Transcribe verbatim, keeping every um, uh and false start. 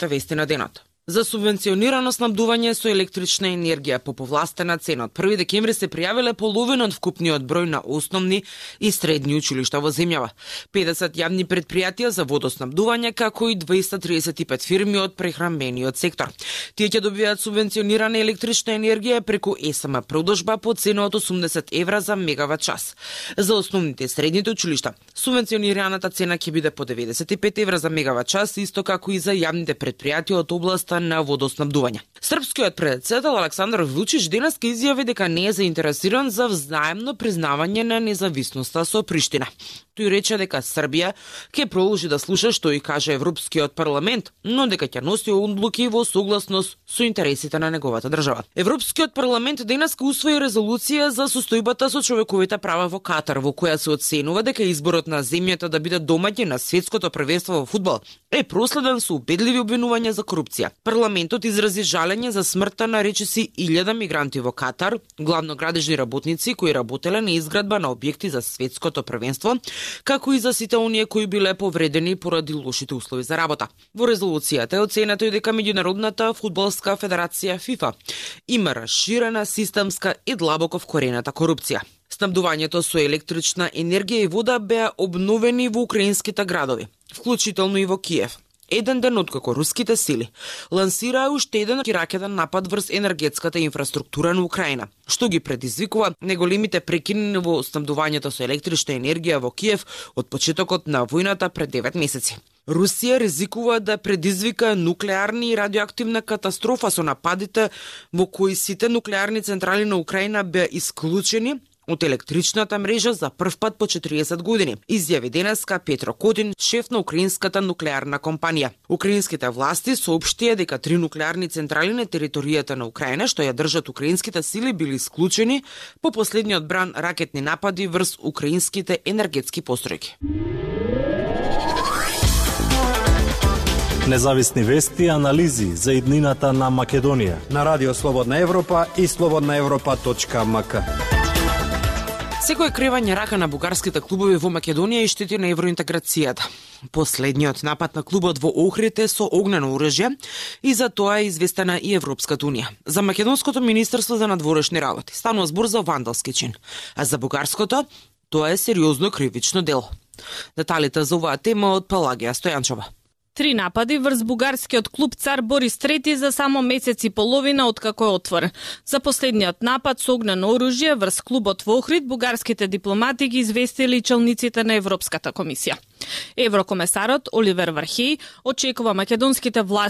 Вести на денот. За субвенционирано снабдување со електрична енергија по повластена цена од први декември се пријавиле половина од вкупниот број на основни и средни училишта во земјава. педесет јавни претпријатија за водоснабдување, како и двеста триесет и пет фирми од прехранбениот сектор. Тие ќе добијат субвенционирана електрична енергија преку ес ем продажба по цена од осумдесет евра за мегават час. За основните и средните училишта субвенционираната цена ќе биде по деветдесет и пет евра за мегават час, исто како и за јавните претпријатија од областа на водоснабдување. Српскиот претседател Александар Вучич денес ке изјави дека не е заинтересиран за взаемно признавање на независноста со Приштина. Тој рече дека Србија ќе продолжи да слуша што и каже Европскиот парламент, но дека ќе носи одлуки во согласност со интересите на неговата држава. Европскиот парламент денес ке усвои резолуција за состојбата со човековите права во Катар, во која се оценува дека изборот на земјата да биде домаќин на светското првенство во фудбал е проследен со убедливи обвинувања за корупција. Парламентот изрази жалење за смртта на речиси илјада мигранти во Катар, главно градежни работници кои работеле на изградба на објекти за светското првенство, како и за сите оние кои биле повредени поради лошите услови за работа. Во резолуцијата е оценето и дека Меѓународната фудбалска федерација ФИФА има расширена системска и длабоко вкорената корупција. Снабдувањето со електрична енергија и вода беа обновени во украинските градови, вклучително и во Киев. Еден ден откако руските сили лансираа уште еден ракетен напад врз енергетската инфраструктура на Украина, што ги предизвикува неголемите прекини во снабдувањето со електрична енергија во Киев од почетокот на војната пред девет месеци. Русија ризикува да предизвика нуклеарни и радиоактивна катастрофа со нападите во кои сите нуклеарни централи на Украина беа исклучени од електричната мрежа за прв пат по четириесет години, изјави денеска Петро Котин, шеф на украинската нуклеарна компанија. Украинските власти соопштија дека три нуклеарни централи на територијата на Украина, што ја држат украинските сили, били исклучени по последниот бран ракетни напади врз украинските енергетски постројки. Независни вести и анализи за иднината на Македонија на Радио Слободна Европа и слободна европа точка ем ка. Секој кревање рака на бугарските клубови во Македонија и штети на евроинтеграцијата. Последниот напад на клубот во Охрид е со огнено оружје и за тоа е известена и Европската унија. За македонското министерство за надворешни работи станува збор за вандалски чин, а за бугарското тоа е сериозно кривично дело. Деталите за оваа тема од Пелагија Стојанчова. Три напади врз бугарскиот клуб Цар Борис трети за само месец и половина откако е отворен. За последниот напад со огнено оружје врз клубот во Охрид бугарските дипломати ги известили челниците на Европската комисија. Еврокомесарот Оливер Вархеј очекува македонските власти